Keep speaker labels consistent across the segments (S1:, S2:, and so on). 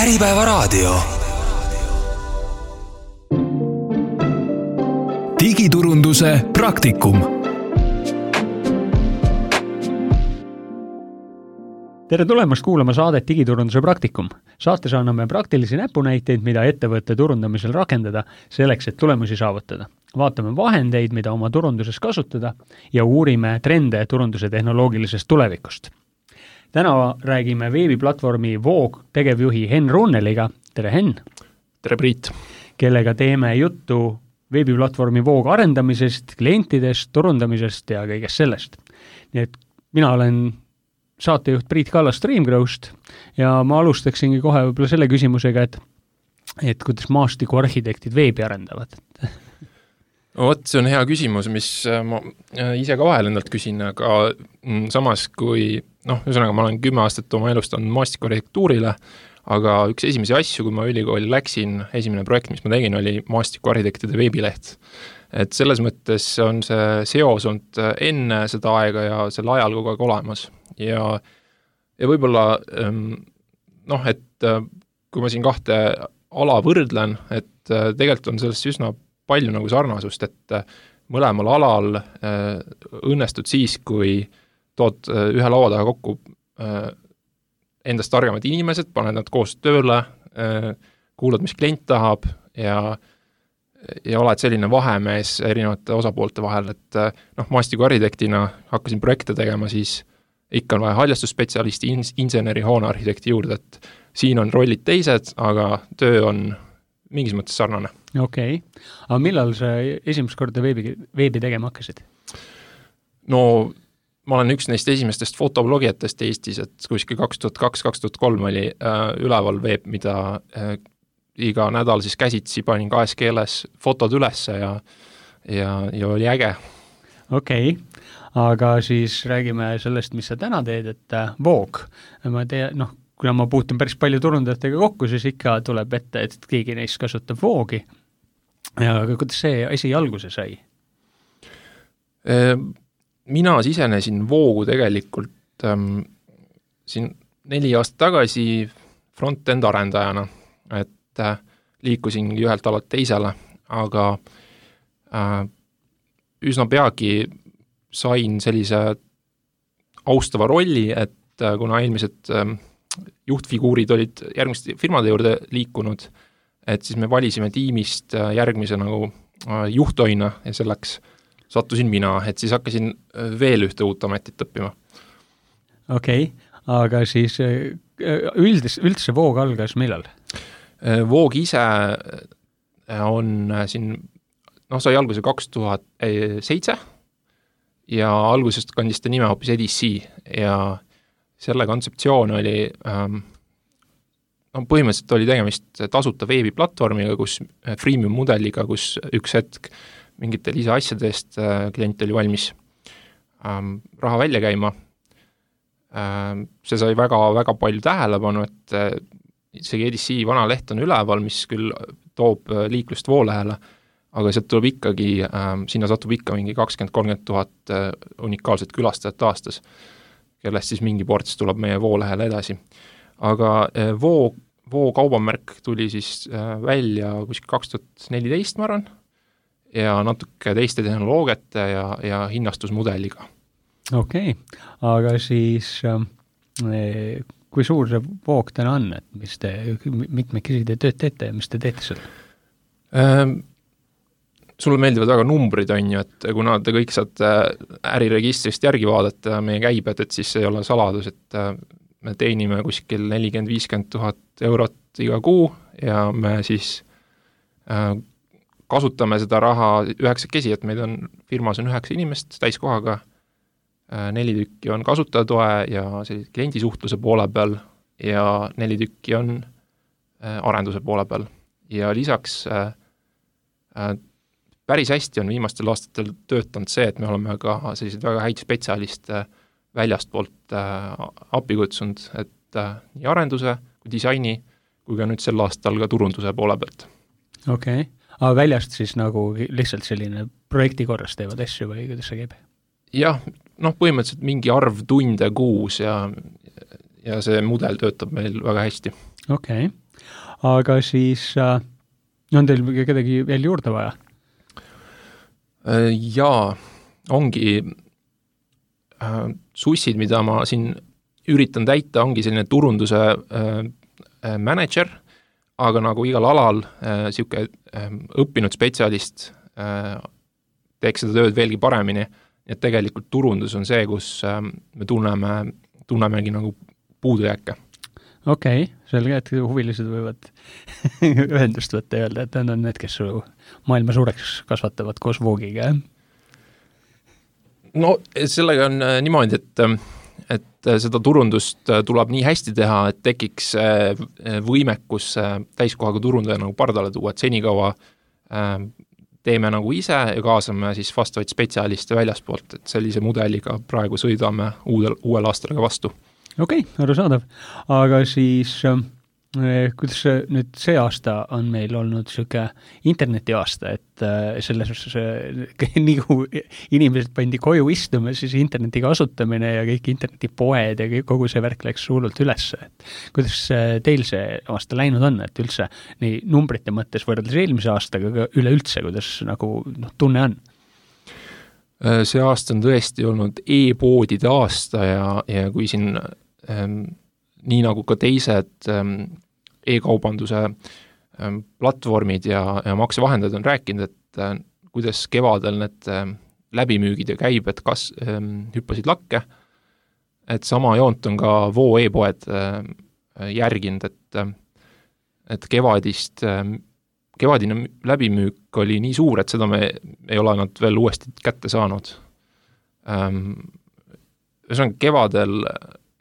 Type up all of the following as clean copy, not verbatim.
S1: Äripäevaraadio. Digiturunduse praktikum.
S2: Tere tulemast kuulama saadet Digiturunduse praktikum. Saates anname praktilisi näpunäiteid, mida ettevõtte turundamisel rakendada selleks, et tulemusi saavutada. Vaatame vahendeid, mida oma turunduses kasutada ja uurime trende turunduse tehnoloogilisest tulevikust. Täna räägime veebiplatvormi Voog tegevjuhi Henn Runneliga. Tere Henn!
S3: Tere Priit!
S2: Kellega teeme juttu veebiplatvormi Voog arendamisest, klientidest, turundamisest ja kõigest sellest. Nii et mina olen saatejuht Priit Kallas Streamgrowst ja ma alustaksingi kohe võib-olla selle küsimusega, et kuidas maastikuarhitektid veebi arendavad.
S3: Vot, see on hea küsimus, mis ma ise ka vahel endalt küsin, aga samas kui, ühesõnaga ma olen 10 aastat oma elust on maastikuarhitektuurile, aga üks esimesi asju, kui ma ülikooli läksin, esimene projekt, mis ma tegin, oli maastikuarhitektide veebileht. Et selles mõttes on see seos olnud enne seda aega ja sel ajal kogu aeg olemas. Ja võib-olla, et kui ma siin kahte ala võrdlen, et tegelikult on sellest üsna palju nagu sarnasust, et mõlemal alal õnnestud siis, kui tood ühe laua taga kokku endast targemad inimesed, paned nad koos tööle, kuulad, mis klient tahab ja oled selline vahemees erinevate osapoolte vahel, et maastikuarhitektina hakkasin projekte tegema, siis ikka on vaja haljastusspetsialisti, inseneri, hoonearhitekti juurde, et siin on rollid teised, aga töö on mingis mõttes sarnane.
S2: Okei. Aga millal sa esimest korda veebi tegema hakkasid?
S3: No, ma olen üks neist esimestest fotoblogijatest Eestis, et kuskil 2002-2003 oli üleval veeb, mida iga nädal siis käsitsi panin kahes keeles fotod ülesse ja oli äge.
S2: Okei. Aga siis räägime sellest, mis sa täna teed, et Voog. Ma tean, kuna ma puutun päris palju turundajatega kokku, siis ikka tuleb ette, et keegi neist kasutab Voogi. Aga kuidas see asi alguse sai?
S3: Mina sisenesin Voogu tegelikult siin 4 aastat tagasi front-end arendajana, et liikusingi ühelt alalt teisele, aga üsna peagi sain sellise austava rolli, et kuna eelmised juhtfiguurid olid järgmiste firmade juurde liikunud, et siis me valisime tiimist järgmise nagu juhtoina ja selleks sattusin mina, et siis hakkasin veel ühte uut ametit õppima.
S2: Okei, aga siis üldse Voog algas millal?
S3: Voog ise on siin, sai alguse 2007 ja algusest kandis ta nime hoopis EDC ja selle kontseptsioon oli, põhimõtteliselt oli tegemist tasuta veebiplatvormiga, kus freemium mudeliga, kus üks hetk mingite lisaasjadest klient oli valmis raha välja käima. See sai väga, väga palju tähelepanu, et isegi EDC vana leht on üleval, mis küll toob liiklust Voolehele, aga sealt tuleb ikkagi, sinna satub ikka mingi 20-30 000 unikaalset külastajat aastas, kellest siis mingi ports tuleb meie Voolehele edasi. Aga Voo kaubamärk tuli siis välja kuskil 2014, ma arvan, ja natuke teiste tehnoloogiate ja hinnastusmudeliga.
S2: Okei, aga siis kui suur see Voog täna on, et mis te mitmekesi te tööd teete ja mis te teete seda?
S3: Sulle meeldivad väga numbrid on ju, et kuna te kõik saate äriregistrist järgi vaadata meie käibed, et siis ei ole saladus, et me teenime kuskil 40-50 000 eurot iga kuu ja me siis kasutame seda raha 9 kesi, et meid on, firmas on 9 inimest täiskohaga, 4 tükki on kasutajatoe ja kliendisuhtluse poole peal ja 4 tükki on arenduse poole peal. Ja lisaks päris hästi on viimastel aastatel töötanud see, et me oleme ka sellised väga häid spetsialiste väljastpoolt appi kutsunud, et nii arenduse kui disaini, kui ka nüüd sel aastal ka turunduse poole pealt.
S2: Okei, aga väljast siis nagu lihtsalt selline projekti korras teevad asju või kuidas see käib?
S3: Jah, põhimõtteliselt mingi arv tunde kuus ja see mudel töötab meil väga hästi.
S2: Okei. Aga siis on teil kedagi veel juurde vaja?
S3: Jaa, ongi sussid, mida ma siin üritan täita, ongi selline turunduse manager, aga nagu igal alal siuke õppinud spetsialist teeks seda tööd veelgi paremini, et tegelikult turundus on see, kus me tunnemegi nagu puudujääke.
S2: Okei, selge, et huvilised võivad ühendust võtta ja öelda, et nad on need, kes su maailma suureks kasvatavad koos Voogiga.
S3: No sellega on niimoodi, et seda turundust tuleb nii hästi teha, et tekiks võimekus täiskohaga turundaja nagu pardale tuua, et senikaua teeme nagu ise ja kaasame siis vastavaid spetsialiste väljaspoolt, et sellise mudeliga praegu sõidame uuel aastal vastu.
S2: Okei, arusaadav. Aga siis kuidas nüüd see aasta on meil olnud siuke interneti aasta, et selles nii kui inimesed pandi koju istuma, siis interneti kasutamine ja kõik internetipoed ja kogu see värk läks hullult üles. Et kuidas teil see aasta läinud on, et üldse nii numbrite mõttes võrreldes eelmise aastaga, aga üleüldse, kuidas nagu tunne on?
S3: See aasta on tõesti olnud e-poodide aasta ja kui siin nii nagu ka teised e-kaubanduse platvormid ja maksevahendajad on rääkinud, et kuidas kevadel need läbimüügid ja käibed hüppasid lakke, et sama joont on ka Voo e-poed järginud, et kevadine läbimüük oli nii suur, et seda me ei ole nad veel uuesti kätte saanud. Ühesõnaga kevadel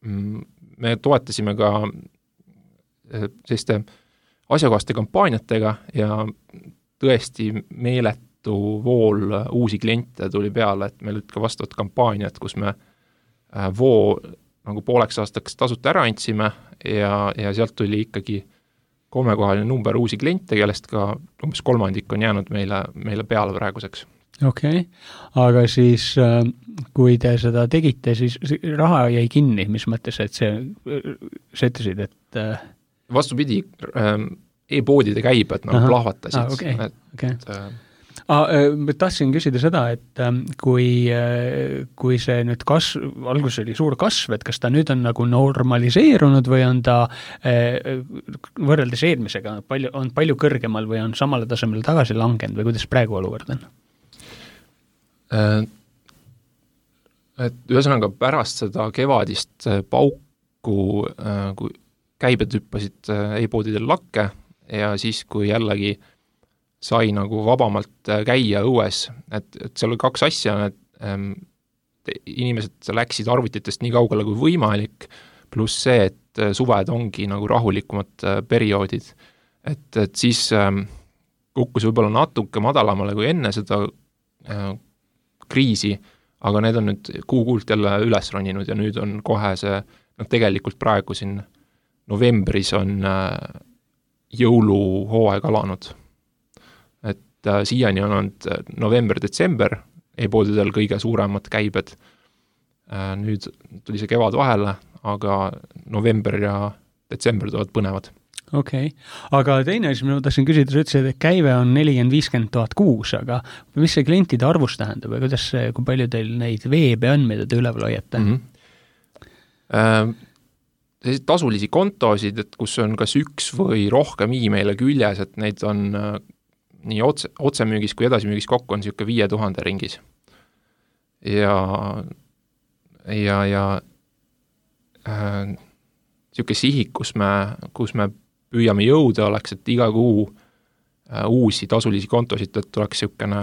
S3: me toetasime ka selliste asjakohaste kampaaniatega ja tõesti meeletu vool uusi kliente tuli peale, et meil olid ka vastavad kampaaniad, kus me Voo nagu pooleks aastaks tasuta ära andsime ja sealt tuli ikkagi 3-kohaline number uusi kliente, kellest ka umbes 3% on jäänud meile peale praeguseks.
S2: Okei, aga siis kui te seda tegite, siis raha jäi kinni, mis mõttes, et sa ütlesid, et
S3: vastupidi, e-poodide käibed nagu plahvatasid.
S2: Tahtsin küsida seda, et kui see nüüd alguses oli suur kasv, et kas ta nüüd on nagu normaliseerunud või on ta võrreldes eelmisega on palju kõrgemal või on samale tasemele tagasi langenud või kuidas praegu olukord on?
S3: Et ühesõnaga pärast seda kevadist pauku, kui käibed hüppasid e-poodidel lakke ja siis, kui jällegi sai nagu vabamalt käia õues, et seal oli 2 asja, et inimesed läksid arvutitest nii kaugele kui võimalik, pluss see, et suved ongi nagu rahulikumad perioodid, et siis kukkus võib-olla natuke madalamale kui enne seda kriisi, aga need on nüüd kuult jälle üles roninud ja nüüd on kohe see, tegelikult praegu siin novembris on jõuluhooaeg alanud. Et siiani on olnud november-detsember e-poodidel kõige suuremad käibed. Nüüd tuli see kevad vahele, aga november ja detsember tulevad põnevad.
S2: Okei, aga teine asi, ma tahtsin küsida, sa ütlesid, et käive on 40-50 000 kuus, aga mis see klientide arvus tähendab ja kui palju teil neid veebe on, mida te üleval hoiate?
S3: Tasulisi kontosid, et kus on kas üks või rohkem e-maile küljes, et neid on nii otsemüügis kui edasimüügis kokku on siuke 5000 ringis. Ja siuke sihik, kus me püüame jõuda oleks, et iga kuu uusi tasulisi kontosid, et oleks siukene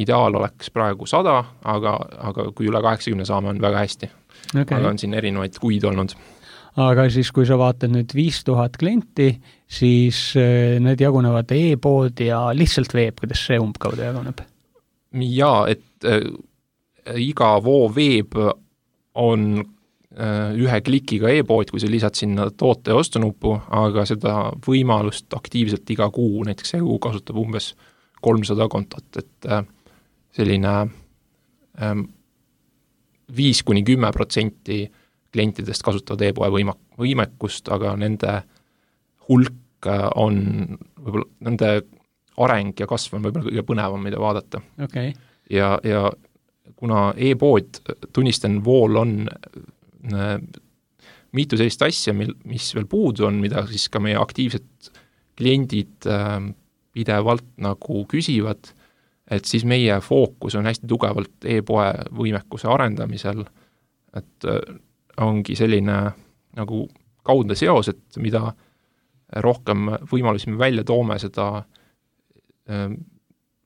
S3: ideaal oleks praegu 100, aga kui üle 80 saame, on väga hästi. Okay. Aga on siin erinevaid kuid olnud.
S2: Aga siis, kui sa vaatad nüüd 5000 klienti, siis need jagunevad e-pood ja lihtsalt veeb, kuidas see umbkaudu jaguneb?
S3: Jaa, et iga Voo veeb on ühe klikiga e-pood, kui sa lisad sinna toote ja ostunupu, aga seda võimalust aktiivselt iga kuu, näiteks see kuu kasutab umbes 300 kontot, et selline 5-10% klientidest kasutavad e-poe võimekust, aga nende hulk on võib-olla, nende areng ja kasv on võib-olla kõige põnevam, mida vaadata.
S2: Okay.
S3: Ja kuna e-pood, tunnistan, Wool on mitu sellist asja, mis veel puudu on, mida siis ka meie aktiivsed kliendid pidevalt nagu küsivad, et siis meie fookus on hästi tugevalt e-poe võimekuse arendamisel, et ongi selline nagu kaudne seos, et mida rohkem võimalusi me välja toome, seda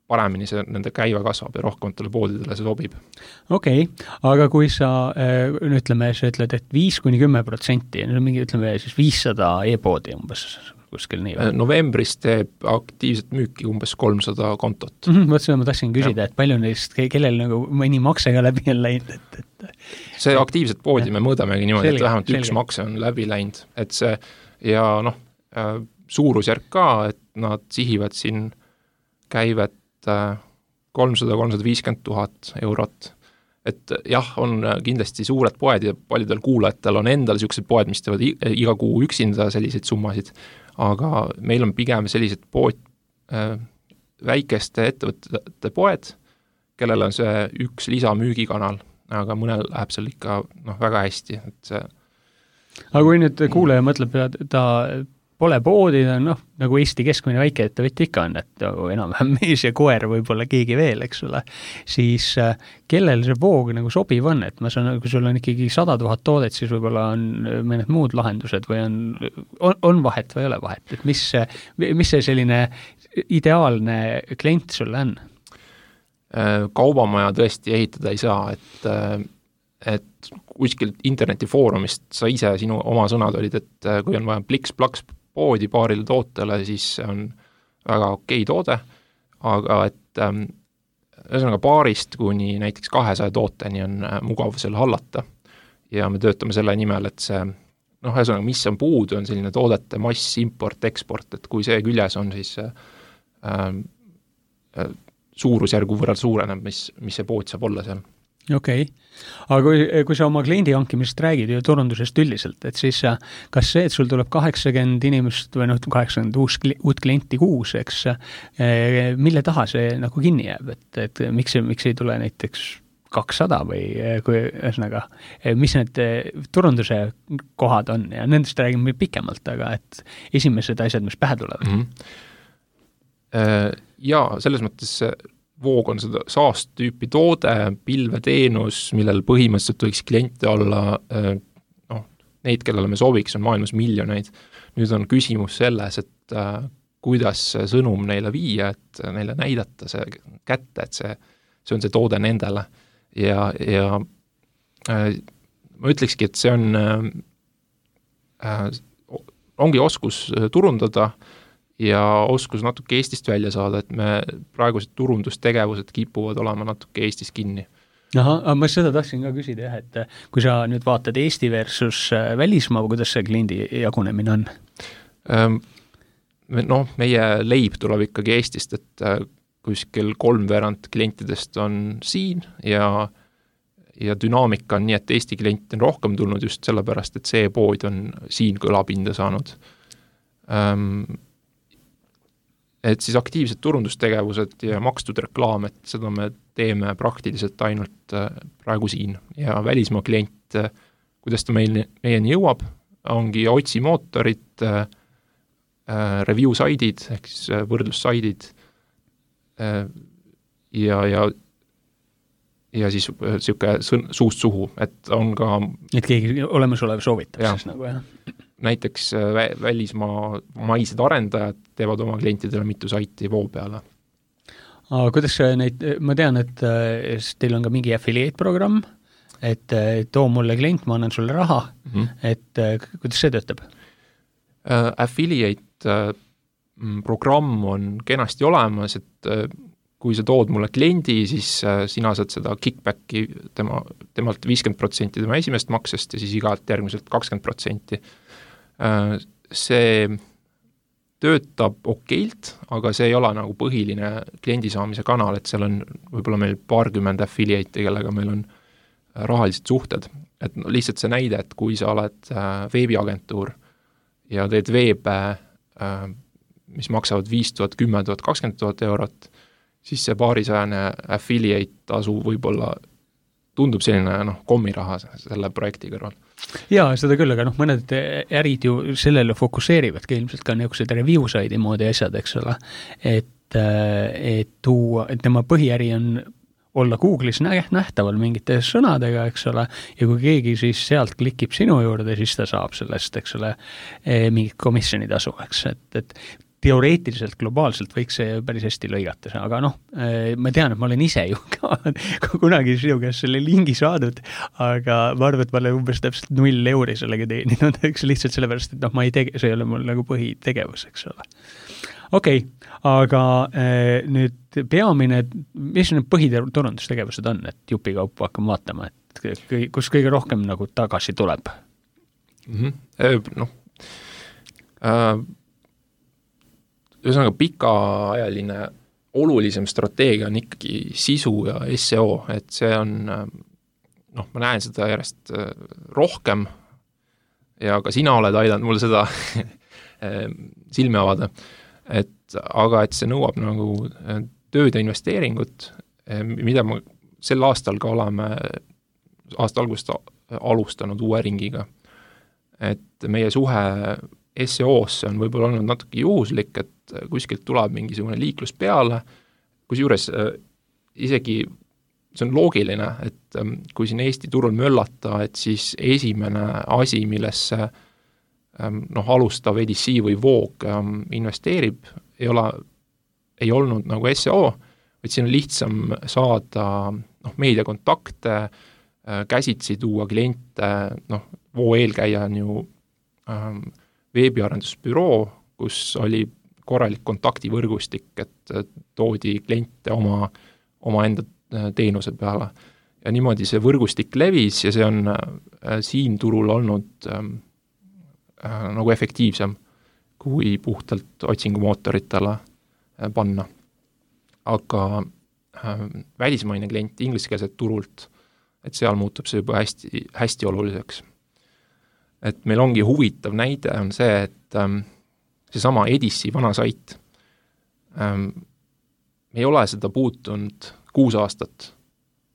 S3: paremini see nende käive kasvab ja rohkematele poodidele see sobib.
S2: Okei, aga kui sa ütleme, sa ütled, et 5-10%, mingi ütleme siis 500 e-poodi umbes kuskil nii või?
S3: Novembris teeb aktiivset müüki umbes 300 kontot.
S2: Võt seda ma tahtsin küsida, et palju neist, kellel nagu mõni makse ka läbi on läinud?
S3: See aktiivset poodi me mõõdamegi niimoodi, et vähemalt üks makse on läbi läinud. Et see, ja suurusjärk ka, et nad sihivad siin käivet 300-350 000 eurot. Et jah, on kindlasti suured poed ja paljudel kuulajatel on endal sellised poed, mis teevad iga kuu üksinda selliseid summasid, aga meil on pigem sellised poed, väikeste ettevõtete poed, kellel on see üks lisamüügikanal, aga mõnel läheb seal ikka väga hästi. Et see...
S2: Aga kui nüüd kuulaja mõtleb, ta pole poodi, nagu Eesti keskmine väikeettevõtja ikka on, et enam-vähem mees ja koer võib-olla keegi veel, eks ole, siis kellel see voog nagu sobiv on, et ma saan, kui sul on ikkagi 100 000 toodet, siis võib-olla on mõned muud lahendused või on vahet või ei ole vahet, et mis see selline ideaalne klient sulle on?
S3: Kaubamaja tõesti ehitada ei saa, et kuskilt internetifoorumist sa ise sinu oma sõnad olid, et kui on vaja pliks-plaks poodi paarile tootele, siis see on väga okei toode, aga et ühesõnaga paarist kuni näiteks 200 tooteni on mugav selle hallata ja me töötame selle nimel, et see ühesõnaga, mis on puudu, on selline toodete mass, import, eksport, et kui see küljes on, siis suurusjärgu võrreld suureneb, mis see pood saab olla seal.
S2: Okei. Aga kui sa oma kliendi hankimisest räägid ja turundusest üldiselt, et siis kas see, et sul tuleb 80 inimest või 80 uut klienti kuus, eks, mille taha see nagu kinni jääb, et miks ei tule näiteks 200 või kui ühesõnaga, mis need turunduse kohad on ja nendest räägime pikemalt, aga et esimesed asjad, mis pähe tulevad.
S3: Ja selles mõttes voog on seda SaaS-tüüpi toode, pilveteenus, millel põhimõtteliselt võiks kliente olla, neid, kellele me sobiks, on maailmas miljoneid. Nüüd on küsimus selles, et kuidas see sõnum neile viia, et neile näidata see kätte, et see on see toode nendele. Ja ma ütlekski, et see ongi oskus turundada ja oskus natuke Eestist välja saada, et me praegused turundustegevused kipuvad olema natuke Eestis kinni.
S2: Aga ma seda tahtsin ka küsida, et kui sa nüüd vaatad Eesti versus välismaa, kuidas see kliendi jagunemine on?
S3: Meie leib tuleb ikkagi Eestist, et kuskil 3/4 klientidest on siin ja dünaamika on nii, et Eesti klient on rohkem tulnud just sellepärast, et see pood on siin kõlapinda saanud. Et siis aktiivsed turundustegevused ja makstud reklaam, et seda me teeme praktiliselt ainult praegu siin. Ja välismaa klient, kuidas ta meieni jõuab, ongi otsimootorid, review-saidid, ehk siis võrdlussaidid ja siis siuke suust suhu, et on ka...
S2: Et keegi olemasolev soovitab siis nagu, jah?
S3: Näiteks välismaa maised arendajad teevad oma klientidele mitu saiti voo peale.
S2: Aga kuidas neid, ma tean, et teil on ka mingi affiliate-programm, et too mulle klient, ma annan sulle raha, et kuidas see töötab?
S3: Affiliate programm on kenasti olemas, et kui sa tood mulle kliendi, siis sina saad seda kickbacki temalt 50% tema esimest maksest ja siis igalt järgmiselt 20%. See töötab okeilt, aga see ei ole nagu põhiline kliendi saamise kanal, et seal on võib-olla meil 20 affiliate'i, kellega meil on rahalised suhted. Et lihtsalt see näide, et kui sa oled veebiagentuur ja teed mis maksavad 5000, 10 000, 20 000 eurot, siis see paarisajane affiliate tasu võib-olla tundub selline kommiraha selle projekti kõrval.
S2: Jaa, seda küll, aga mõned ärid ju sellele fokusseerivadki ilmselt ka niisugused review side'i moodi asjad, eks ole, et tema põhiäri on olla Google'is nähtaval mingite sõnadega, eks ole, ja kui keegi siis sealt klikib sinu juurde, siis ta saab sellest, eks ole, mingit komisjoni tasu, eks, et teoreetiliselt, globaalselt võiks see päris hästi lõigata, aga ma tean, et ma olen ise ju ka kunagi sinu käest selle lingi saadud, aga ma arvan, et ma olen umbes täpselt 0 euri sellega teeninud, eks lihtsalt sellepärast, et ma ei see ei ole mul nagu põhitegevus, eks ole. Okei, aga nüüd peamine, mis need põhiturundustegevused on, et jupikaupu hakkame vaatama, et kus kõige rohkem nagu tagasi tuleb?
S3: Ühesõnaga pikaajaline olulisem strateegia on ikkagi sisu ja SEO, et see on, ma näen seda järjest rohkem ja ka sina oled aidanud mul seda silme avada, aga see nõuab nagu tööd ja investeeringut, mida me sel aastal ka oleme aasta algust alustanud uue ringiga. Et meie suhe SEO-sse on võib-olla olnud natuke juhuslik, et kuskilt tuleb mingisugune liiklus peale, kusjuures isegi see on loogiline, et kui siin Eesti turul möllata, et siis esimene asi, millesse alustav EDC või Voog investeerib, ei olnud nagu SEO, vaid siin on lihtsam saada meediakontakte, käsitsi tuua kliente, Voo eelkäija on ju veebiarendusbüroo, kus oli korralik kontaktivõrgustik, et toodi kliente oma enda teenuse peale. Ja niimoodi see võrgustik levis ja see on siin turul olnud nagu efektiivsem kui puhtalt otsingumootoritele panna. Aga välismaine klient ingliskeelset turult, et seal muutub see juba hästi, hästi oluliseks. Et meil ongi huvitav näide on see, et seesama Edisi vana sait, me ei ole seda puutunud 6 aastat,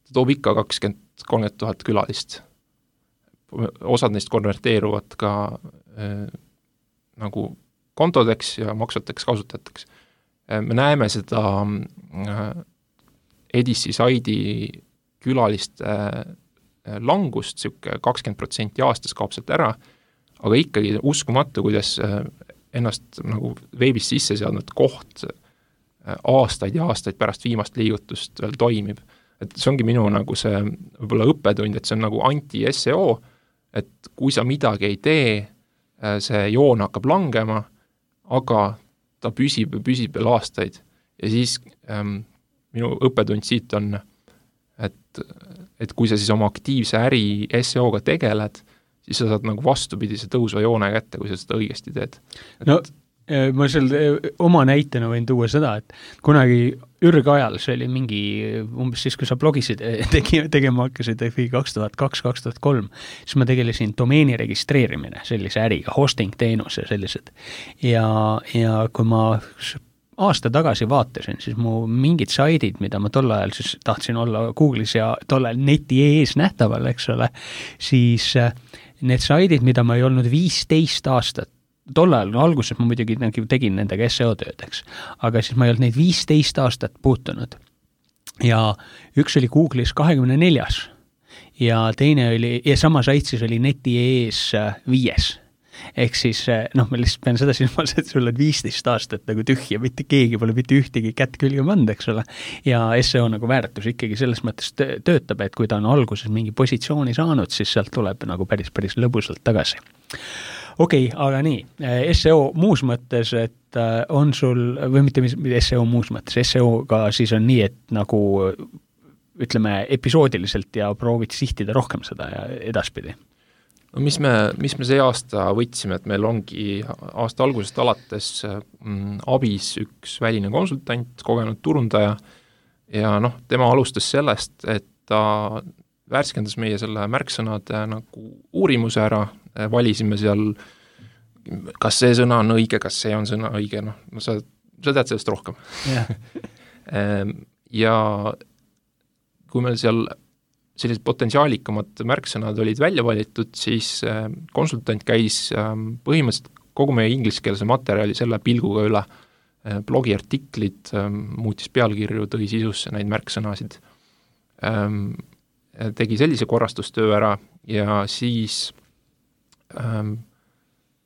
S3: ta toob ikka 20-30 000 külalist. Osad neist konverteeruvad ka nagu kontodeks ja maksvateks kasutajateks. Me näeme seda Edisi saidi külaliste langust, siuke 20% aastas kaob sealt ära, aga ikkagi uskumatu, kuidas ennast nagu veebis sisse seadnud koht aastaid ja aastaid pärast viimast liigutust veel toimib. Et see ongi minu nagu see võib-olla õppetund, et see on nagu anti-SEO, et kui sa midagi ei tee, see joon hakkab langema, aga ta püsib veel aastaid. Ja siis minu õppetund siit on, et kui sa siis oma aktiivse äri SEO-ga tegeled, siis sa saad nagu vastupidise tõusva joone kätte, kui sa seda õigesti teed.
S2: Ma seal oma näitena võin tuua seda, et kunagi ürgajal, see oli mingi umbes siis, kui sa blogisid tegema hakkasid 2002-2003, siis ma tegelesin domeeni registreerimine sellise äriga, hosting teenuse sellised. Ja kui ma aasta tagasi vaatasin, siis mu mingid saidid, mida ma tol ajal siis tahtsin olla Google'is ja tol ajal neti ees nähtaval, eks ole, siis need saidid, mida ma ei olnud 15 aastat, tol ajal alguses ma muidugi tegin nendega SEO-tööd, eks, aga siis ma ei olnud neid 15 aastat puutunud. Ja üks oli Google'is 24 ja teine oli, ja sama sait siis oli neti ees 5. Ehk siis, ma lihtsalt pean seda silmas, et sul on 15 aastat nagu tühja, mitte keegi pole mitte ühtegi kätt külge pannud, eks ole, ja SEO nagu väärtus ikkagi selles mõttes töötab, et kui ta on alguses mingi positsiooni saanud, siis sealt tuleb nagu päris lõbusalt tagasi. Okei, aga nii, SEO muus mõttes, et on sul, või mitte SEO muus mõttes, SEO-ga siis on nii, et nagu ütleme episoodiliselt ja proovid sihtida rohkem seda ja edaspidi.
S3: No mis me see aasta võtsime, et meil ongi aasta algusest alates abis üks väline konsultant, kogenud turundaja ja tema alustas sellest, et ta värskendas meie selle märksõnade nagu uurimuse ära, valisime seal kas see sõna on õige, kas see on sõna õige, sa tead sellest rohkem. Ja kui meil seal sellised potentsiaalikamad märksõnad olid välja valitud, siis konsultant käis põhimõtteliselt kogu meie ingliskeelse materjali selle pilguga üle, blogiartiklid, muutis pealkirju, tõi sisusse neid märksõnasid, tegi sellise korrastustöö ära ja siis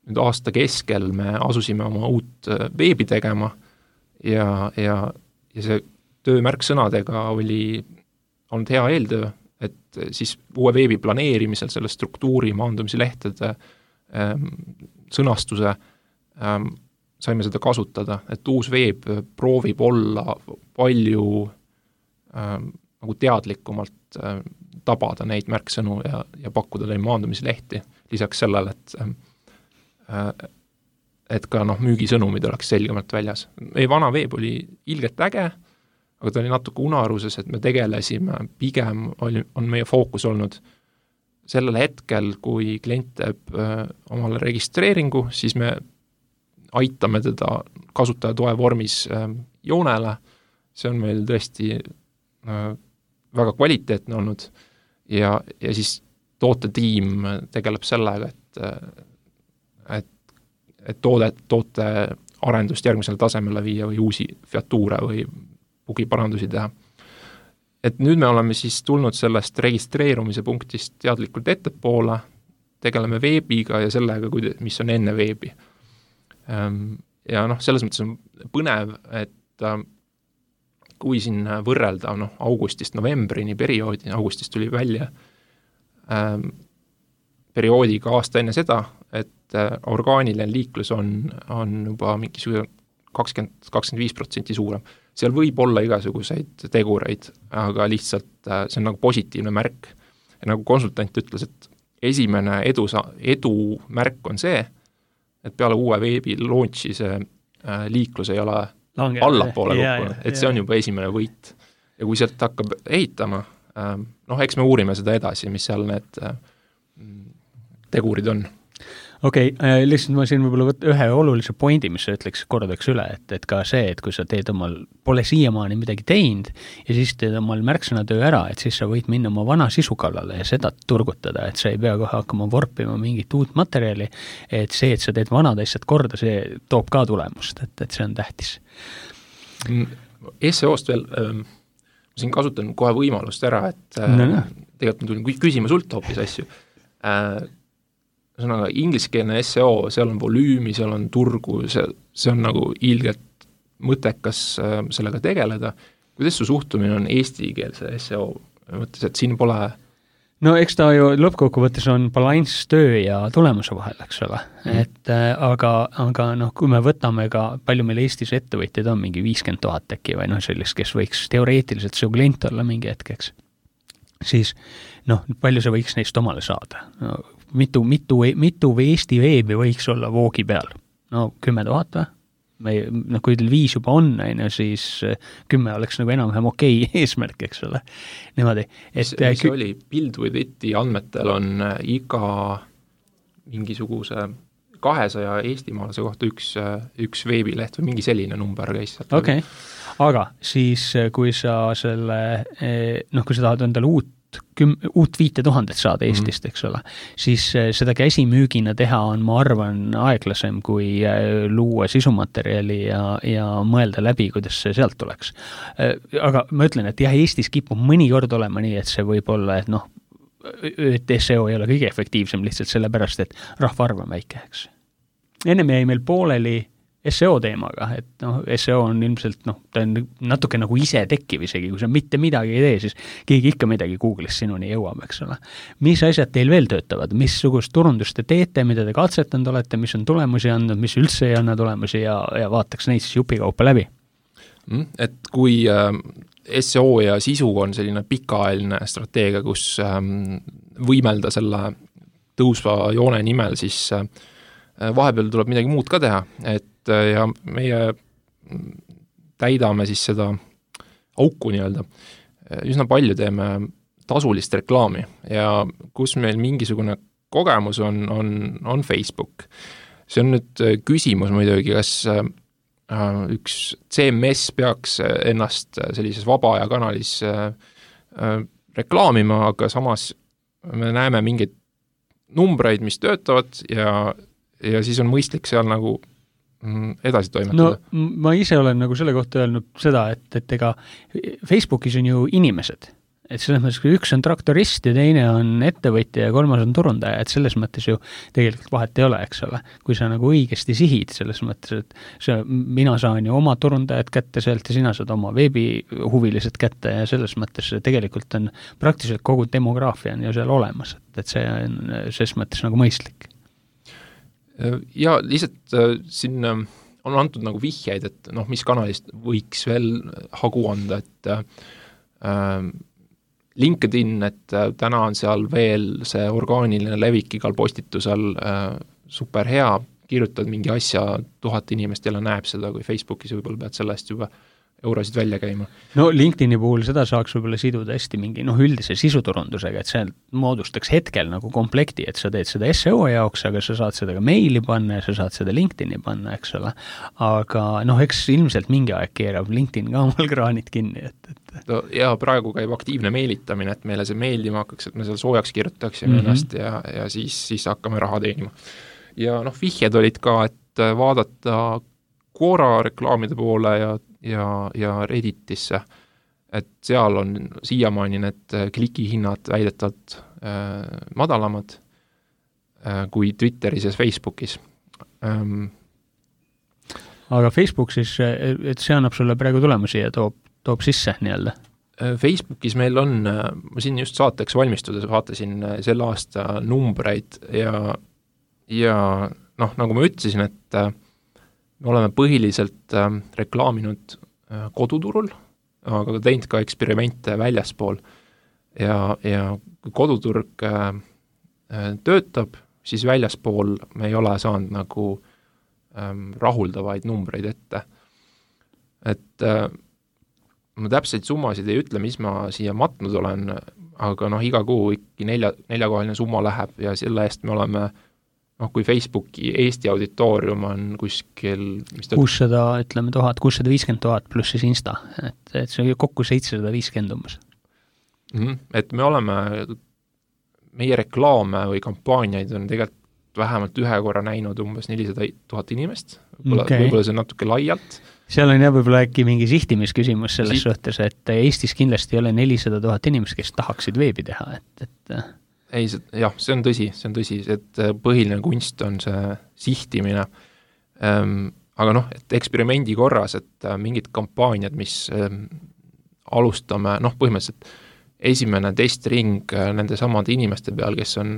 S3: nüüd aasta keskel me asusime oma uut veebi tegema ja see töö märksõnadega oli olnud hea eeltöö, et siis uue veebi planeerimisel selle struktuuri, maandumise lehtede sõnastuse saime seda kasutada, et uus veeb proovib olla palju nagu teadlikumalt tabada neid märksõnu ja pakkuda neid maandumislehti, lisaks sellele, et ka müügisõnumid oleks selgemalt väljas. Meie vana veeb oli ilgelt äge, aga ta oli natuke unaruses, et me tegelesime, pigem on meie fookus olnud sellel hetkel, kui klient teeb omale registreeringu, siis me aitame teda kasutajatoe vormis joonele, see on meil tõesti väga kvaliteetne olnud ja siis tootetiim tegeleb sellega, et toote arendust järgmisele tasemele viia või uusi featuure või bugiparandusi teha. Et nüüd me oleme siis tulnud sellest registreerumise punktist teadlikult ettepoole, tegeleme veebiga ja sellega, mis on enne veebi. Ja selles mõttes on põnev, et kui siin võrrelda augustist novembrini perioodi, augustist tuli välja perioodiga aasta enne seda, et orgaaniline liiklus on juba mingisugune 20-25% suurem. Seal võib olla igasuguseid tegureid, aga lihtsalt see on nagu positiivne märk. Ja nagu konsultant ütles, et esimene edu märk on see, et peale uue veebi launchi see liiklus ei ole allapoole kukkunud, et see on juba esimene võit. Ja kui sealt hakkab ehitama, eks me uurime seda edasi, mis seal need tegurid on.
S2: Okei, lihtsalt ma siin võib-olla ühe olulise pointi, mis sa ütleks, kordaks üle, et ka see, et kui sa teed pole siiamaani midagi teinud ja siis teed omal märksõnatöö ära, et siis sa võid minna oma vana sisu kallale ja seda turgutada, et sa ei pea kohe hakkama vorpima mingit uut materjali, et see, et sa teed vanad asjad korda, see toob ka tulemust, et see on tähtis.
S3: SEO-st veel, ma siin kasutan kohe võimalust ära, et tegelikult ma tulin küsima sult hoopis asju. Sõnaga, ingliskeelne SEO, seal on volüümi, seal on turgu, see on nagu ilgelt mõttekas sellega tegeleda. Kuidas su suhtumine on eestikeelse SEO mõttes, et siin pole...
S2: No eks ta ju lõppkokkuvõttes on balanss töö ja tulemuse vahel, eks ole. Et, aga kui me võtame ka, palju meil Eestis ettevõtjaid on, mingi 50 000 äkki või sellist, kes võiks teoreetiliselt su klient olla mingi hetkeks, siis palju see võiks neist omale saada? Mitu Eesti veebi võiks olla voogi peal? 10 000 või? Kui teil 5 juba on, siis 10 oleks nagu enam-vähem okei eesmärk, eks ole. Niimoodi.
S3: Mis oli Build with Iti andmetel on iga mingisuguse 200 eestimaalase kohta üks veebileht või mingi selline number käis.
S2: Okei, aga siis kui sa selle, kui sa tahad endale uut 5000 saada Eestist, eks ole, siis seda käsimüügina teha on, ma arvan, aeglasem kui luua sisumaterjali ja mõelda läbi, kuidas see sealt tuleks. Aga ma ütlen, et jah, Eestis kipub mõnikord olema nii, et see võib olla, et SEO ei ole kõige efektiivsem lihtsalt sellepärast, et rahvaarv on väike, eks. Ennem jäi meil pooleli SEO teemaga, et SEO on ilmselt, ta on natuke nagu ise tekkiv isegi, kui sa mitte midagi ei tee, siis keegi ikka midagi Google'is sinuni jõuab, eks ole. Mis asjad teil veel töötavad, missugust turundust te teete, mida te katsetanud olete, mis on tulemusi andnud, mis üldse ei anna tulemusi ja vaataks neid siis jupikaupa läbi?
S3: Et kui SEO ja sisu on selline pikaajaline strateegia, kus võimelda selle tõusva joone nimel, siis vahepeal tuleb midagi muud ka teha, et ja meie täidame siis seda auku nii-öelda. Üsna palju teeme tasulist reklaami ja kus meil mingisugune kogemus on Facebook. see on nüüd küsimus muidugi, kas üks CMS peaks ennast sellises vaba aja kanalis reklaamima, aga samas me näeme mingeid numbreid, mis töötavad ja siis on mõistlik seal nagu edasi toimetada.
S2: No ma ise olen nagu selle kohta öelnud seda, et ega Facebookis on ju inimesed, et selles mõttes, kui üks on traktorist ja teine on ettevõtja ja kolmas on turundaja, et selles mõttes ju tegelikult vahet ei ole, eks ole. Kui sa nagu õigesti sihid selles mõttes, et mina saan ju oma turundajad kätte sealt ja sina saad oma veebihuvilised kätte ja selles mõttes tegelikult on praktiliselt kogu demograafia on ju seal olemas, et see on selles mõttes nagu mõistlik.
S3: Ja lihtsalt siin on antud nagu vihjeid, et mis kanalist võiks veel hagu anda, et LinkedIn, et täna on seal veel see orgaaniline levik igal postitusel super hea, kirjutad mingi asja, 1000 inimest jälle näeb seda, kui Facebookis võib-olla pead sellest juba eurosid välja käima.
S2: No LinkedIni puhul seda saaks võib-olla siduda hästi mingi üldise sisuturundusega, et see moodustaks hetkel nagu komplekti, et sa teed seda SEO jaoks, aga sa saad seda ka meili panna ja sa saad seda LinkedIni panna, eks ole. Aga eks ilmselt mingi aeg keerab LinkedIn ka omal kraanid kinni,
S3: No, ja praegu käib aktiivne meelitamine, et meile see meeldima hakkaks, et me seal soojaks kirjutaksime ennast ja siis hakkame raha teenima. Ja vihjed olid ka, et vaadata Quora reklaamide poole ja Redditisse, et seal on siiamaani need klikihinnad väidetavalt madalamad kui Twitteris ja Facebookis.
S2: Aga Facebook siis, et see annab sulle praegu tulemusi ja toob sisse nii-öelda?
S3: Facebookis meil on, ma siin just saateks valmistudes vaatasin selle aasta numbreid ja nagu ma ütlesin, et me oleme põhiliselt reklaaminud koduturul, aga teinud ka eksperimente väljaspool ja kui koduturg töötab, siis väljaspool me ei ole saanud nagu rahuldavaid numbreid ette. Et ma täpseid summasid ei ütle, mis ma siia matnud olen, aga iga kuu ikka neljakohaline summa läheb ja selle eest me oleme, kui Facebooki Eesti auditoorium on kuskil
S2: 600, ütleme 650 000 pluss siis Insta, et see on kokku 750 umbes.
S3: Et me oleme, meie reklaame või kampaaniaid on tegelikult vähemalt ühe korra näinud umbes 400 000 inimest, võib-olla see on natuke laialt.
S2: Seal on võib-olla äkki mingi sihtimisküsimus selles suhtes, et Eestis kindlasti ei ole 400 000 inimest, kes tahaksid veebi teha,
S3: Ei, see on tõsi, et põhiline kunst on see sihtimine, aga et eksperimendi korras, et mingid kampaaniad, mis alustame, põhimõtteliselt esimene testring nende samade inimeste peal, kes on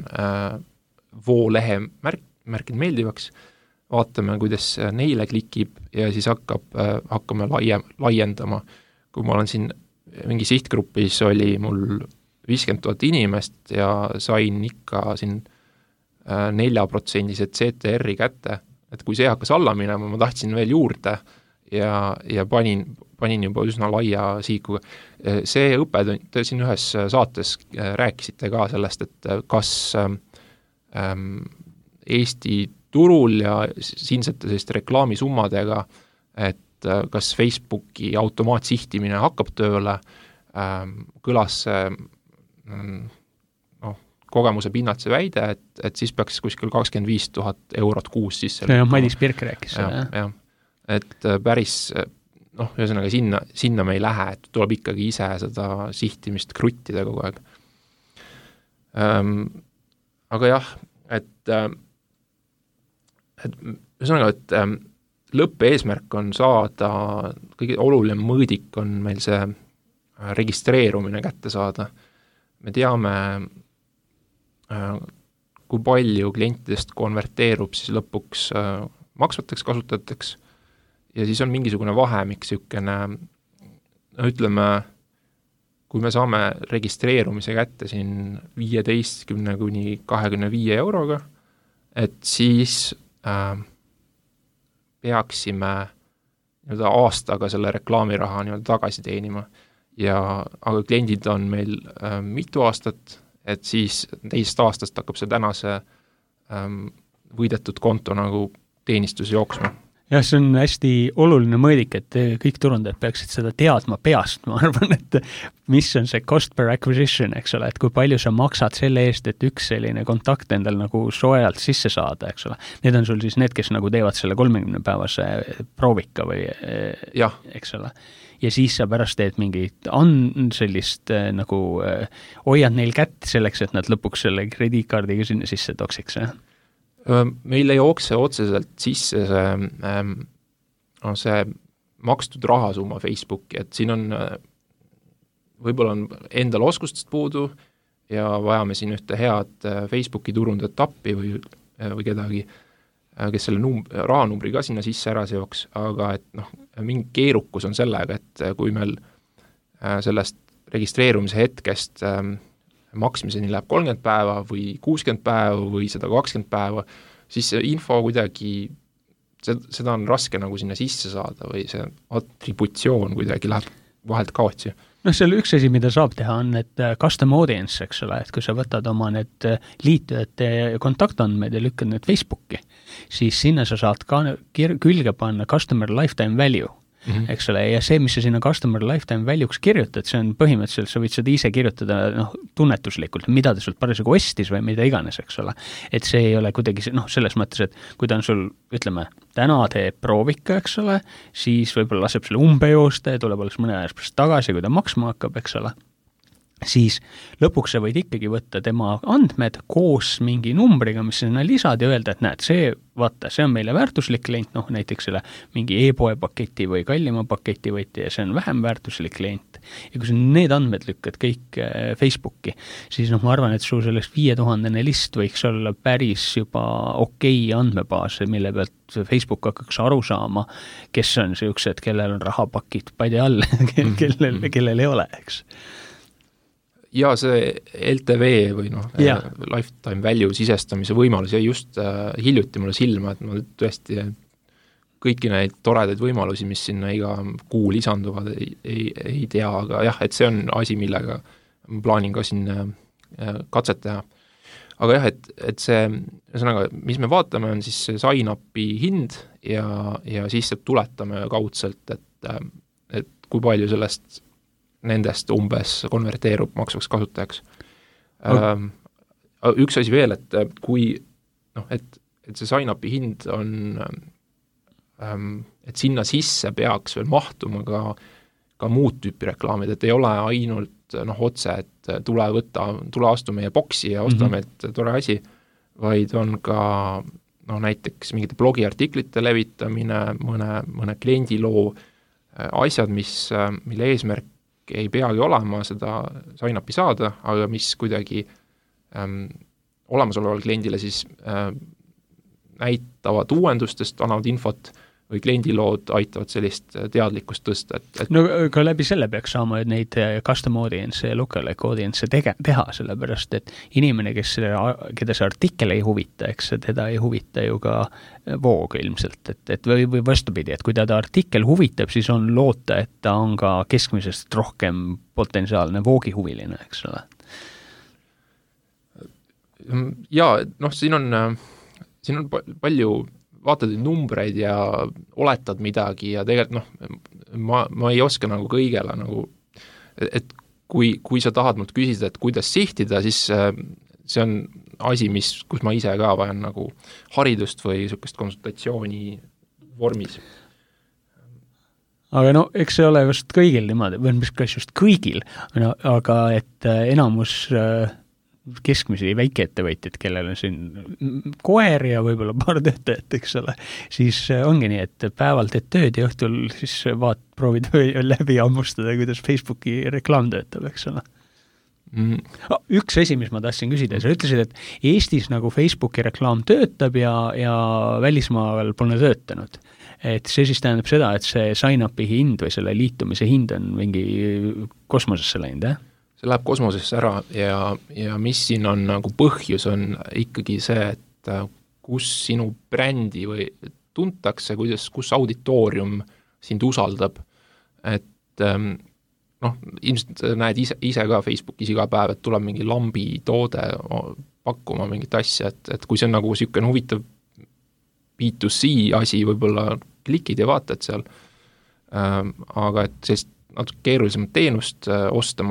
S3: voolehe märkinud meeldivaks, vaatame, kuidas neile klikib ja siis hakkame laiendama. Kui ma olen siin mingi sihtgrupis, oli mul 50 000 inimest ja sain ikka siin 4% CTR-i kätte, et kui see hakkas alla minema, ma tahtsin veel juurde ja panin juba üsna laia siikuga. See õppetund, te siin ühes saates rääkisite ka sellest, et kas Eesti turul ja siinsete selliste reklaamisummadega, et kas Facebooki automaatsihtimine hakkab tööle, kõlas kogemuse pinnalt see väide, et siis peaks kuskil 25 000 eurot kuus sisse.
S2: See on Madis Pirk rääkis seda,
S3: jah. Et päris, ühesõnaga sinna me ei lähe, et tuleb ikkagi ise seda sihtimist kruttida kogu aeg. Aga jah, et ühesõnaga, et lõppeesmärk on saada, kõige oluline mõõdik on meil see registreerumine kätte saada. Me teame, kui palju klientidest konverteerub siis lõpuks maksvateks kasutajateks ja siis on mingisugune vahemik, ütleme, kui me saame registreerumise kätte siin 15 kuni 25 euroga, et siis peaksime aastaga selle reklaamiraha tagasi teenima. Aga kliendid on meil mitu aastat, et siis teist aastast hakkab see tänase võidetud konto nagu teenistus jooksma.
S2: Jah, see on hästi oluline mõõdik, et kõik turundajad peaksid seda teadma peast, ma arvan, et mis on see cost per acquisition, eks ole, et kui palju sa maksad selle eest, et üks selline kontakt endal nagu soojalt sisse saada, eks ole. Need on sul siis need, kes nagu teevad selle 30-päevase proovika või eks ole. Ja siis sa pärast teed mingit sellist nagu hoiad neil kätt selleks, et nad lõpuks selle krediitkaardiga sinna sisse toksiks,
S3: Meil ei jookse otseselt sisse see makstud rahasumma Facebooki, et siin on, võib-olla on endal oskustest puudu ja vajame siin ühte head Facebooki turundajat appi või kedagi, kes selle rahanumbri ka sinna sisse ära seoks, aga et mingi keerukus on sellega, et kui meil sellest registreerumise hetkest maksmiseni läheb 30 päeva või 60 päeva või 120 päeva, siis see info kuidagi, seda on raske nagu sinna sisse saada või see atributsioon kuidagi läheb vahelt kaotsi.
S2: Seal üks asi, mida saab teha, on need custom audience, eks ole, et kui sa võtad oma need liitujate kontaktandmed ja lükkad need Facebooki, siis sinna sa saad ka külge panna customer lifetime value. Eks ole, ja see, mis sa sinna customer lifetime value'ks kirjutad, see on põhimõtteliselt, sa võid seda ise kirjutada tunnetuslikult, mida ta sult parasjagu ostis või mida iganes, eks ole. Et see ei ole kuidagi, selles mõttes, et kui ta on sul, ütleme, täna teeb proovika, eks ole, siis võib-olla laseb selle umbejoosta ja tuleb alles mõne ajast pärast tagasi, kui ta maksma hakkab, eks ole. Siis lõpuks sa võid ikkagi võtta tema andmed koos mingi numbriga, mis sinna lisad ja öelda, et näed, see on meile väärtuslik klient, näiteks selle mingi e-poe paketi või kallima paketi võiti ja see on vähem väärtuslik klient. Ja kui sa need andmed lükkad kõik Facebooki, siis ma arvan, et su sellest 5000 list võiks olla päris juba okei andmebaas, mille pealt Facebook hakkaks aru saama, kes on sellised, kellel on rahapakid padi all, kellel ei ole, eks.
S3: Ja see LTV või lifetime value sisestamise võimalus ja just hiljuti mulle silma, et ma tõesti kõiki neid toredaid võimalusi, mis sinna iga kuu lisanduvad, ei tea, aga jah, et see on asi, millega ma plaanin ka siin katset teha. Aga jah, et see, mis me vaatame, on siis see sign-upi hind ja siis tuletame kaudselt, et kui palju sellest nendest umbes konverteerub maksvaks kasutajaks. Üks asi veel, et kui et see sign-upi hind on et sinna sisse peaks veel mahtuma ka muud tüüpi reklaamid, et ei ole ainult otse, et tule astu meie boksi ja ostame, et tore asi, vaid on ka näiteks mingite blogiartiklite levitamine, mõne kliendiloo asjad, mille eesmärk ei peagi olema seda sign-upi saada, aga mis kuidagi olemasoleval kliendile siis näitavad uuendustest, annavad infot või kliendilood aitavad sellist teadlikkust tõsta.
S2: Ka läbi selle peaks saama neid custom audience ja lookalike audience teha, sellepärast, et inimene, keda see artikkel ei huvita, eks teda ei huvita ju ka voog ilmselt, või vastupidi, et kui teda artikkel huvitab, siis on loota, et ta on ka keskmisest rohkem potentsiaalne voogihuviline, eks ole.
S3: Ja siin on palju vaatad numbreid ja oletad midagi ja tegelikult ma ei oska nagu kõigele et kui sa tahad mult küsida, et kuidas sihtida, siis see on asi, kus ma ise ka vajan nagu haridust või niisugust konsultatsiooni vormis.
S2: Aga eks see ole just kõigil niimoodi, või mis kas just kõigil, aga et enamus keskmisi väikeettevõtjaid, kellel on siin koer ja võib-olla paar töötajat, eks ole, siis ongi nii, et päeval teed tööd ja õhtul siis proovid läbi ammustada, kuidas Facebooki reklaam töötab, eks ole. Üks asi, mis ma tahtsin küsida, sa ütlesid, et Eestis nagu Facebooki reklaam töötab ja välismaal pole töötanud. Et see siis tähendab seda, et see sign-upi hind või selle liitumise hind on mingi kosmosesse läinud,
S3: See läheb kosmosesse ära ja mis siin on nagu põhjus on ikkagi see, et kus sinu brändi või tuntakse, kus auditoorium sind usaldab, et ilmselt näed ise ka Facebookis iga päev, et tuleb mingi lambi toode pakkuma mingit asja, et kui see on nagu niisugune huvitav B2C asi, võib-olla klikid ja vaatad seal, aga et sellist natuke keerulisemat teenust osta,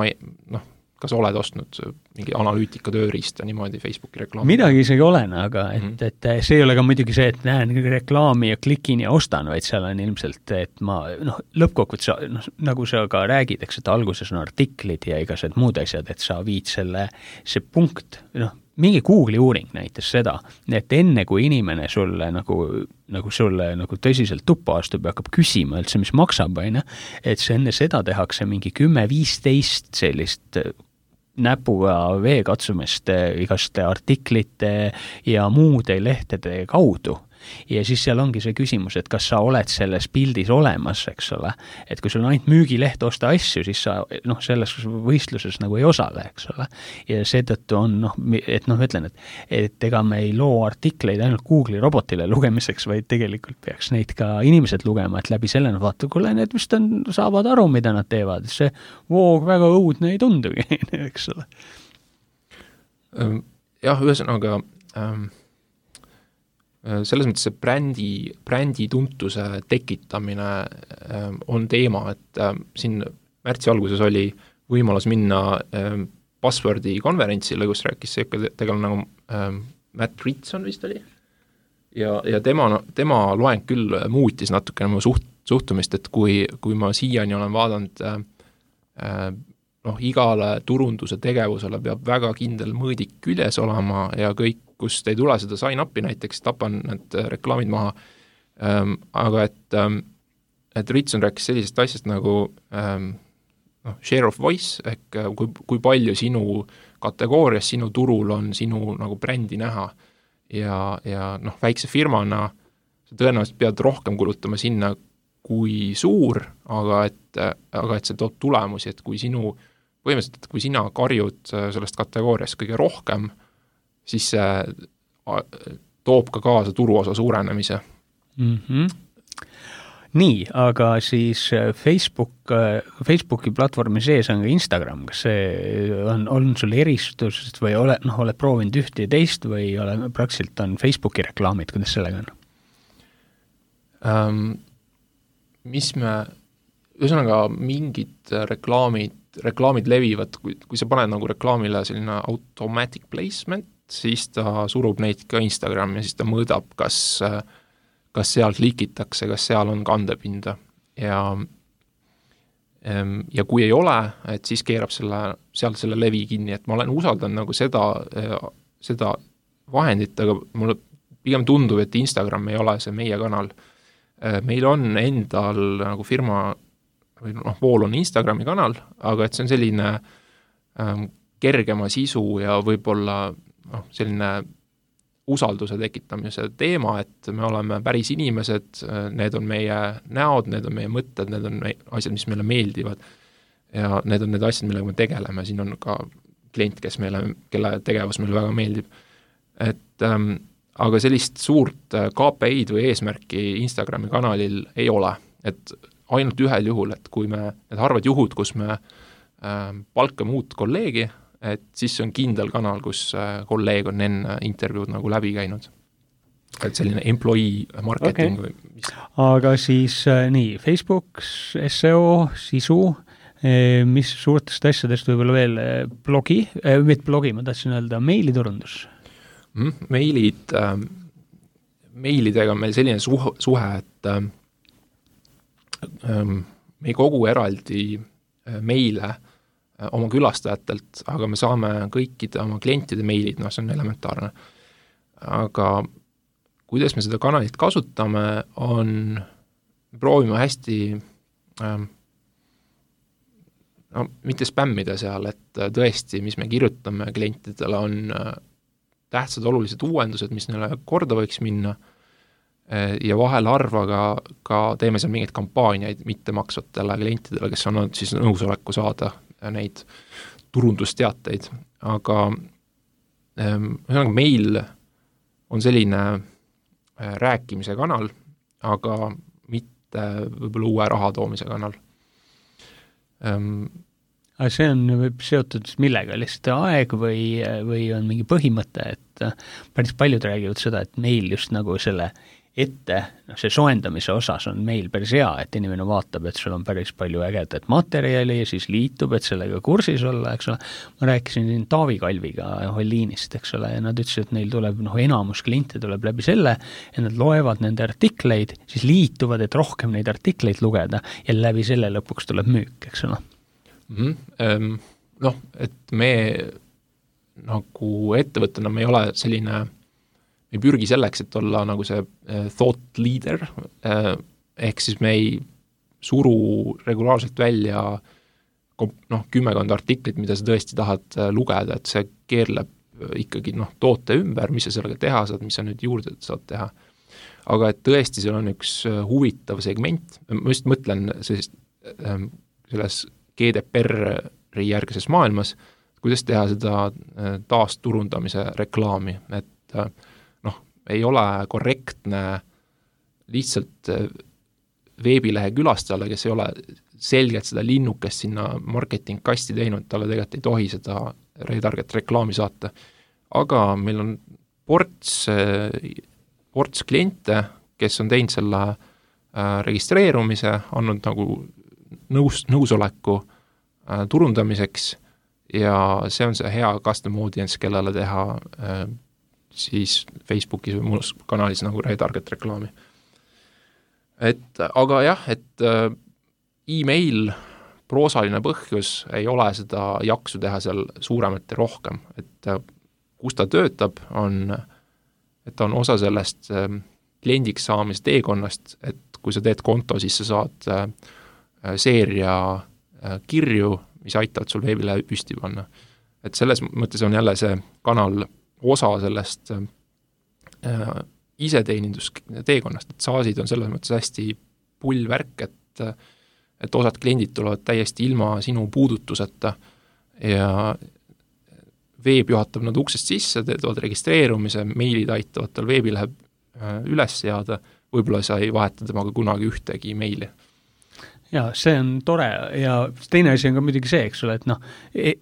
S3: kas oled ostnud mingi analüütika tööriista niimoodi Facebooki reklaami?
S2: Midagi isegi olen, aga et see ei ole ka muidugi see, et näen reklaami ja klikin ja ostan, vaid seal on ilmselt, et ma lõppkokkuvõttes, nagu sa ka räägid, eks, et alguses on artiklid ja igased muud asjad, et sa viid see punkt, mingi Google'i uuring näitas seda, et enne kui inimene sulle nagu sulle tõsiselt tuppa astub ja hakkab küsima üldse, mis maksab, et see enne seda tehakse mingi 10-15 sellist näpuga veekatsumist igaste artiklite ja muude lehtede kaudu. Ja siis seal ongi see küsimus, et kas sa oled selles pildis olemas, eks ole, et kui sul on ainult müügileht osta asju, siis sa selles võistluses nagu ei osale, eks ole, ja seetõttu on, ütlen, et ega me ei loo artikleid ainult Google'i robotile lugemiseks, vaid tegelikult peaks neid ka inimesed lugema, et läbi selle vaata, kuule, need vist saavad aru, mida nad teevad, see voog väga õudne ei tundugi, eks ole.
S3: Jah, ühesõnaga selles mõttes see brändi tuntuse tekitamine on teema, et siin märtsi alguses oli võimalus minna Buzzwordi konverentsile, kus rääkis see tegelane nagu Matt Ritson vist oli, ja tema loeng küll muutis natukene mu suhtumist, et kui ma siiani olen vaadanud igale turunduse tegevusele peab väga kindel mõõdik küljes olema ja kõik, kust ei tule seda sign-upi näiteks, tapan need reklaamid maha, aga et Ritson rääkis sellisest asjast nagu share of voice, ehk kui palju sinu kategoorias, sinu turul on sinu nagu brändi näha ja väikse firmana sa tõenäoliselt pead rohkem kulutama sinna kui suur, aga et see toob tulemusi, et kui põhimõtteliselt, kui sina karjud sellest kategooriast kõige rohkem, siis see toob ka kaasa turuosa suurenemise.
S2: Nii, aga siis Facebooki platvormi sees on ka Instagram, kas see on sul eristusest või oled proovinud ühte ja teist või praktiliselt on Facebooki reklaamid, kuidas sellega on? Ühesõnaga mingid reklaamid levivad, kui sa paned nagu reklaamile selline automatic placement, siis ta surub neid ka Instagrami ja siis ta mõõdab, kas seal klikitakse, kas seal on kandepinda ja kui ei ole, et siis keerab sealt selle levi kinni, et ma olen usaldanud nagu seda vahendit, aga mulle pigem tundub, et Instagram ei ole see meie kanal. Meil on endal nagu firma või Vool on Instagrami kanal, aga et see on selline kergema sisu ja võib-olla selline usalduse tekitamise teema, et me oleme päris inimesed, need on meie näod, need on meie mõtted, need on asjad, mis meile meeldivad ja need on need asjad, millega me tegeleme, siin on ka klient, kelle tegevus meile väga meeldib. Aga sellist suurt KPI-d või eesmärki Instagrami kanalil ei ole, et ainult ühel juhul, et kui need harvad juhud, kus me palkame uut kolleegi, et siis on kindel kanal, kus kolleeg on enne intervjuud nagu läbi käinud. Et selline employee marketing või mis. Aga siis nii, Facebook, SEO, sisu, mis suurtest asjadest võib-olla veel blogi, ma tahtsin öelda, meiliturundus. Meilidega on meil selline suhe, et me ei kogu eraldi meile oma külastajatelt, aga me saame kõikide oma klientide meilid, see on elementaarne. Aga kuidas me seda kanalit kasutame, proovime hästi mitte spämmida seal, et tõesti, mis me kirjutame klientidele, on tähtsad olulised uuendused, mis neile korda võiks minna ja vahel harva ka teeme seal mingeid kampaaniaid mittemaksvatele klientidele, kes on siis nõusoleku saada neid turundusteateid, aga meil on selline rääkimise kanal, aga mitte võib-olla uue raha toomise kanal. Aga see on seotud millega, lihtsalt aeg või on mingi põhimõte, et päris paljud räägivad seda, et meil just nagu selle ette, see soendamise osas on meil päris hea, et inimene vaatab, et sul on päris palju ägedat materjali ja siis liitub, et sellega kursis olla, eks ole. Ma rääkisin siin Taavi Kalviga Holliinist, eks ole, ja nad ütlesid, et neil tuleb, enamus kliente tuleb läbi selle, et nad loevad nende artikleid, siis liituvad, et rohkem neid artikleid lugeda ja läbi selle lõpuks tuleb müük, eks ole.
S3: Et me nagu ettevõttena me ei ole selline, me ei pürgi selleks, et olla nagu see thought leader, ehk siis me ei suru regulaarselt välja 10 artiklit, mida sa tõesti tahad lugeda, et see keerleb ikkagi toote ümber, mis sa sellega teha saad, mis sa nüüd juurde saad teha. Aga et tõesti seal on üks huvitav segment, ma just mõtlen selles GDPR-i järgises maailmas, kuidas teha seda taasturundamise reklaami, et ei ole korrektne lihtsalt veebilehe külastajale, kes ei ole selgelt seda linnukest sinna marketing-kasti teinud, talle tegelikult ei tohi seda retarget reklaami saata. Aga meil on ports kliente, kes on teinud selle registreerumise, andnud nagu nõusoleku turundamiseks ja see on see hea custom audience, kellele teha siis Facebookis või muus kanalis nagu retarget reklaami. Aga jah, et email, proosaline põhjus ei ole seda jaksu teha seal suuremat ja rohkem, et kus ta töötab, et on osa sellest kliendiks saamise teekonnast, et kui sa teed konto, siis sa saad seeria kirju, mis aitavad sul veebilehe püsti panna. Et selles mõttes on jälle see kanal osa sellest iseteenindus teekonnast, et saasid on selles mõttes hästi pull värk, et osad kliendid tulevad täiesti ilma sinu puudutuseta ja veeb juhatab nad uksest sisse, teevad registreerumise, meilid aitavad tal veebilehe üles seada, võib-olla sa ei vaheta temaga kunagi ühtegi meili.
S2: Ja see on tore ja teine asi on ka muidugi see, eks ole, et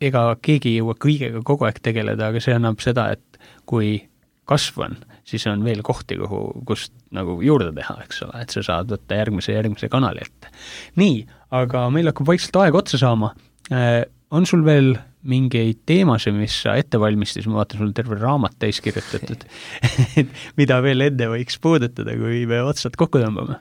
S2: ega keegi ei jõua kõigega kogu aeg tegeleda, aga see annab seda, et kui kasv on, siis on veel kohti, kust nagu juurde teha, eks ole, et sa saad võtta järgmise kanali ette. Nii, aga meil hakkab vaikselt aeg otsa saama. On sul veel mingeid teemasid, mis sa ette valmistis, ma vaatan, sul terve raamat täis kirjutatud, mida veel enne võiks puudutada, kui me otsad kokku tõmbame?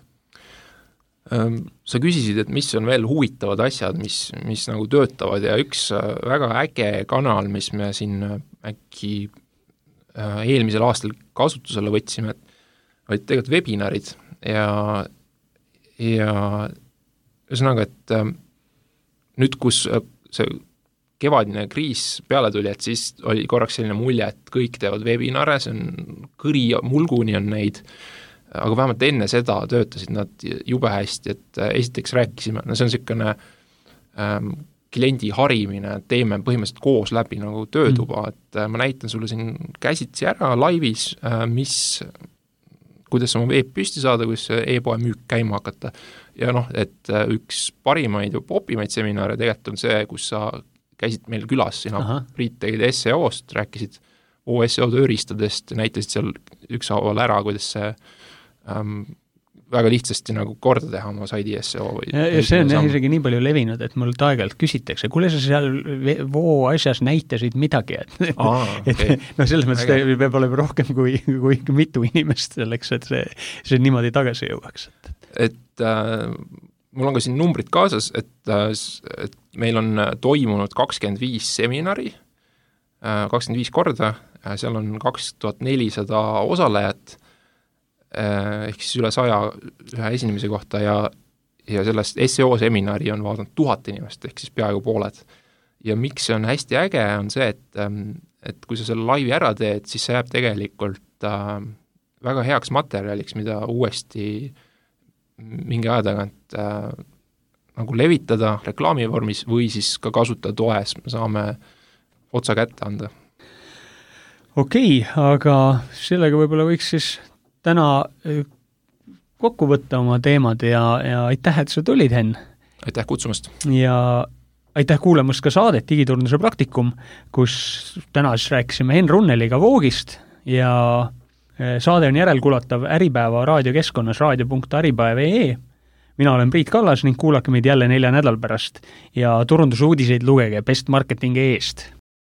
S3: Sa küsisid, et mis on veel huvitavad asjad, mis nagu töötavad ja üks väga äge kanal, mis me siin äkki eelmisel aastal kasutusele võtsime, olid tegelikult webinarid ja ühesõnaga, et nüüd, kus see kevadine kriis peale tuli, et siis oli korraks selline mulje, et kõik teevad webinare, see on kõri mulguni on neid, aga vähemalt enne seda töötasid nad jube hästi, et esiteks rääkisime, see on selline kliendi harimine, teeme põhimõtteliselt koos läbi nagu töötuba, et ma näitan sulle siin käsitsi ära laivis, kuidas oma veeb püsti saada, kuidas e-poe müük käima hakata. Ja et üks parimaid ja popimaid seminare tegelikult on see, kus sa käisid meil külas, sina Priit tegid SEO-st, rääkisid SEO tööriistadest, näitasid seal ükshaaval ära, kuidas see väga lihtsasti nagu korda teha oma saidi SEO või
S2: ja see on isegi nii palju levinud, et mul aeg-ajalt küsitakse, kuule sa seal voo asjas näitasid midagi, okay. Selles mõttes peab olema rohkem kui mitu inimest selleks, et see niimoodi tagasi jõuaks.
S3: Et mul on ka siin numbrid kaasas, et meil on toimunud 25 seminari, 25 korda, seal on 2400 osalejat, ehk siis üle 100 ühe esinemise kohta ja sellest SEO seminari on vaadanud 1000 inimest, ehk siis peaaegu pooled. Ja miks see on hästi äge, on see, et kui sa selle laivi ära teed, siis see jääb tegelikult väga heaks materjaliks, mida uuesti mingi aja tagant nagu levitada reklaami vormis või siis ka kasutada toes, me saame otsa kätte anda.
S2: Okei, aga sellega võib-olla võiks siis täna kokku võtta oma teemad ja aitäh, et sa tulid, Henn.
S3: Aitäh kutsumast.
S2: Ja aitäh kuulamast ka saadet Digiturunduse praktikum, kus täna siis rääkisime Henn Runneliga Voogist ja Saade on järelkulatav Äripäeva raadiokeskkonnas raadio.äripäev.ee. Mina olen Priit Kallas ning kuulake meid jälle 4 nädal pärast ja turundusuudiseid lugege Best Marketingi eest.